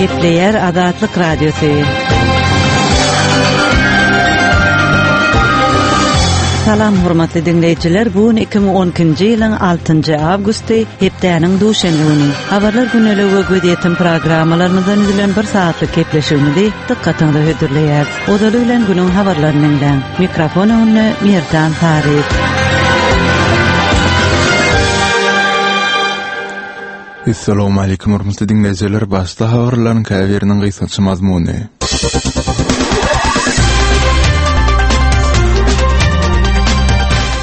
Gepleýär Azatlyk Radiosy. Salam hormatly diňleýjiler, bu gün 2012-nji ýylyň 6-njy awgusty, hepdäniň duşenbe güni. Habarlar güneligi we gözýetim programmalarymyzdan düzülen bir sagatlyk gepleşigimizi dykgatyňyza hödürleýäris. Ozaly bilen günüň habarlaryny diňläň. Mikrofon öňünde Merdan Saryýew. Essalawmaleýkim hormatly diňleýjiler, başda habarlaryň käbiriniň gysgaça mazmuny.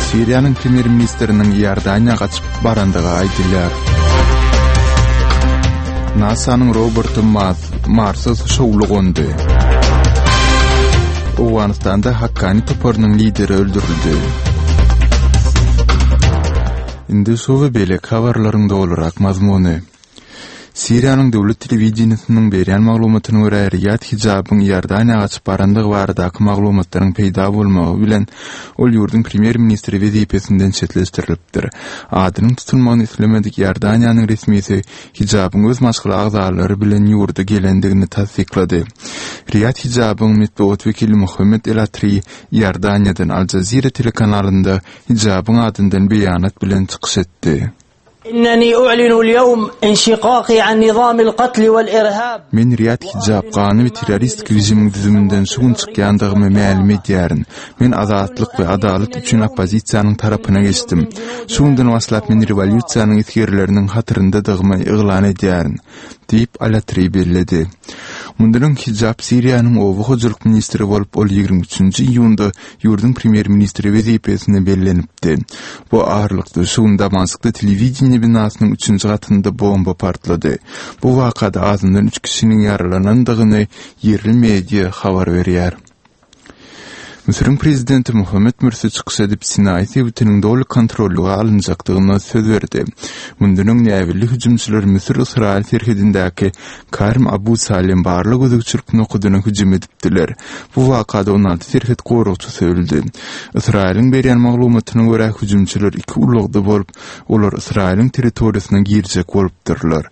Siriýanyň premýer-ministriniň Iordaniýa gaçyp barandygy aýdylýar. NASA-nyň roboty Marsa şowly gondy. Owganystanda Hakkani toparynyň lideri öldürildi. Indi şu we beýleki habarlaryň dolurak mazmuny. Siriýanyň döwlet telewideniýesiniň berýän maglumatyna görä, Riýad Hijabyň Iordaniýa gaçyp barandygy baradaky maglumatlaryň peýda bolmagy bilen, ol ýurduň premýer-ministri wezipesinden çetleşdirilipdir. Adynyň tutulmagyny islemedik Iordaniýanyň resmisi Hijabyň öz maşgala agzalary bilen ýurda gelendigini tassyklady. Riýad Hijabyň metbugat wekili Muhammed El-Atri Iordaniýadan Al Jazeera telekanalynda Hijabyň adyndan beýanat bilen çykyş etdi. Inneni u'linu al-ýewm inşikaki an nizamil katli wal-irhab. Men Riýad Hijab gany we terroristik režimiň düzüminden şu gün çykýandygymy mälim edýärin. Men azatlyk we adalat üçin oppozisiýanyň tarapyna geçdim. Şu günden başlap men rewolýusiýanyň esgerleriniň hatyryndadygymy yglan edýärin, diýip, Al-Atri belledi. Mundan öň Hijab Siriýanyň oba hojalyk ministri bolup, ol 23-nji iýunda ýurduň premýer-ministri wezipesine bellenipdi. Bu aralykda, şu gün Damaskda telewideniýe binasynyň üçünji gatynda bomba partlady. Bu wakada azyndan üç kişiniň ýaralanandygyny ýerli media habar berýär. Müsüriň prezidenti Muhammet Mürsi çykyş edip, Sinaý sebitiniň doly kontrollyga alynjakdygyna söz berdi. Mundan öň näbelli hüjümçiler Müsür-Ysraýyl serhedindäki Karm Abu Salem barlag-gözegçilik nokadyna hüjüm edipdiler. Bu wakada 16 serhet goragçysy öldi. Ysraýylyň berýän maglumatyna görä, hüjümçiler iki ulagda bolup, olar Ysraýylyň territoriýasyna girjek bolupdyrlar.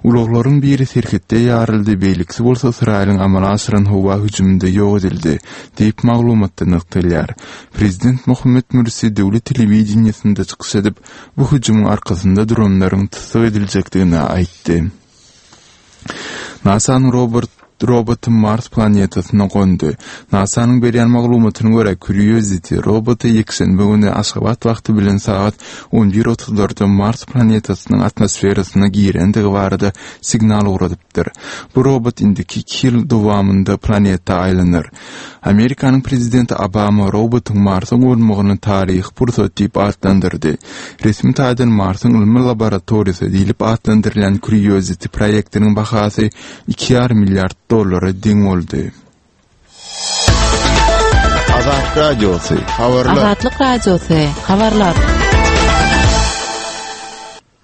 Ulaglaryň biri serhetde ýaryldy, beýlekisi bolsa Ysraýylyň amala aşyran howa hüjüminde ýok edildi, diýip, maglumatda nygtalýar. Prezident Mohammed Mürsi döwlet telewideniýesinde çykyş edip, bu hüjümiň arkasynda duranlaryň tussag ediljekdigini aýtdy. NASA-nyň robot roboty Mars planetasyna gondy. NASA-nyň berýän maglumatyna görä, Curiosity roboty ýekşenbe güni Aşgabat wagty bilen sagat on bir otuzlarda Mars planetasynyň atmosferasyna girendigi barada signal ugradypdyr. Bu robot indiki iki ýyl dowamynda planeta aýlanar. Amerikanyň prezidenti Obama robotyň Marsa gonmagyny taryhy pursat diýip atlandyrdy. Resmi taýdan Marsyň ylmy laboratoriýasy diýlip atlandyrylýan Curiosity proýektiniň bahasy iki ýarym milliard dollara deň boldy. Azatlyk Radiosy, habarlar. Azatlyk Radiosy, habarlar.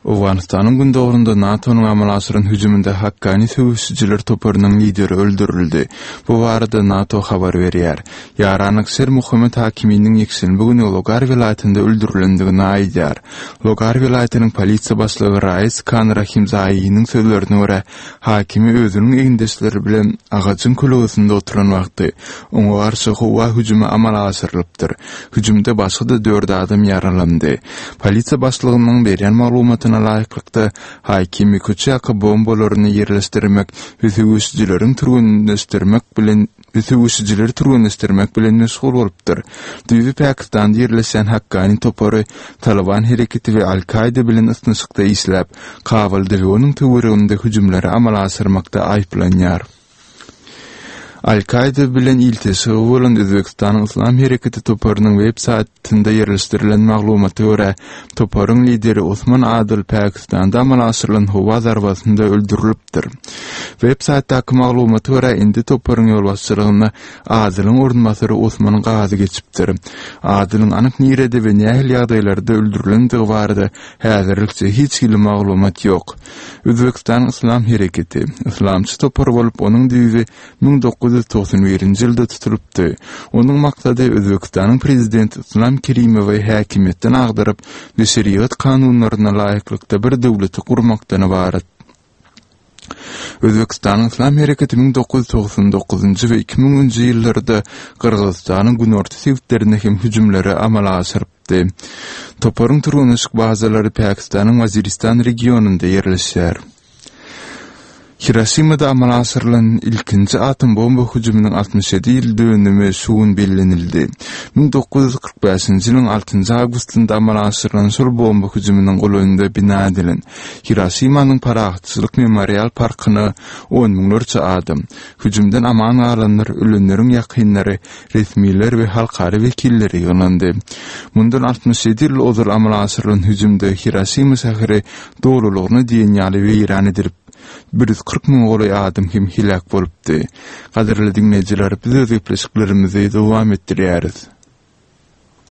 Owganystanyň gündogarynda NATO-nyň amala aşyran hüjüminde Hakkani söweşijiler toparynyň lideri öldürildi. Bu barada NATO habar berýär. Ýaranlyk Şer Muhammet Hakiminiň ýekşenbe güni Logar welaýatynda öldürilendigini aýdýar. Logar welaýatynyň polisiýa başlygy Rais Kan Rahimzaýynyň sözlerine görä, Hakimi özüniň egindeşleri bilen agajyň kölegesinde oturan wagty, oňa garşy howa hüjümi amala aşyrylypdyr. Hüjümde başga-da dört adam ýaralandy. Polisiýa başlygynyň berýän maglumatyna laýyklykda, Hakimi köçe ýaka bombalaryny ýerleşdirmek we söweşijileriň türgenleşdirmek bilen we söweşijileri türgenleşdirmek bilen meşgul bolupdyr. Düýbi Pakistanda ýerleşýän Hakkani topary Talyban hereketi we Al-Kaýda bilen ysnyşykda işläp, Kabulda we onuň töwereginde hüjümleri amala aşyrmakda aýyplanýar. Al-Kaýda bilen ilteşigi bolan Özbegistanyň Yslam hereketi toparynyň web saýtynda ýerleşdirilen maglumata görä, toparyň lideri Osman Adyl Pakistanda amala aşyrylan howa zarbasynda öldürilipdir. Web saýtdaky maglumata görä, indi toparyň ýolbaşçylygyna Adylyň orunbasary Osman Gazy geçipdir. Adylyň anyk nirede we nähili ýagdaýlarda öldürilendigi barada häzirlikçe hiç hili maglumat ýok. Özbegistanyň Yslam hereketi, yslamçy topar bolup, onuň düýbi 1991-nji ýylda tutulypdy. Onuň maksady Özbegistanyň prezidenti Yslam Kerimowy häkimiýetden agdaryp we şerigat kanunlaryna laýyklykda bir döwleti gurmakdan ybarat. Özbegistanyň Yslam hereketi 1999-njy we 2000-nji ýyllarda Gyrgyzystanyň günorta sebitlerinde hem hüjümleri amala aşyrypdy. Toparyň türgenleşik bazalary Pakistanyň Waziristan regionynda ýerleşýär. Hiroşimada amala aşyrylan ilkinji atom bomba hüjüminiň 67 ýyl dönümi şu gün bellenildi. 1945-nji ýylyň altynjy awgustynda amala aşyrylan şol bomba hüjüminiň golaýynda bina edilen Hiroşimanyň Parahatçylyk memorial parkyna on müňlerçe adam, hüjümden aman galanlar, ölenleriň ýakynlary, resmiler we halkara wekilleri ýygnandy. Mundan 67 ýyl ozal amala aşyrylan hüjümde Hiroşima şäheri dolulygyna diýen ýaly weýran edilip, 140 müňe golaý adam hem heläk bolupdy. Gadyrly diňleýjiler, biz öz gepleşiklerimizi dowam etdirýäris.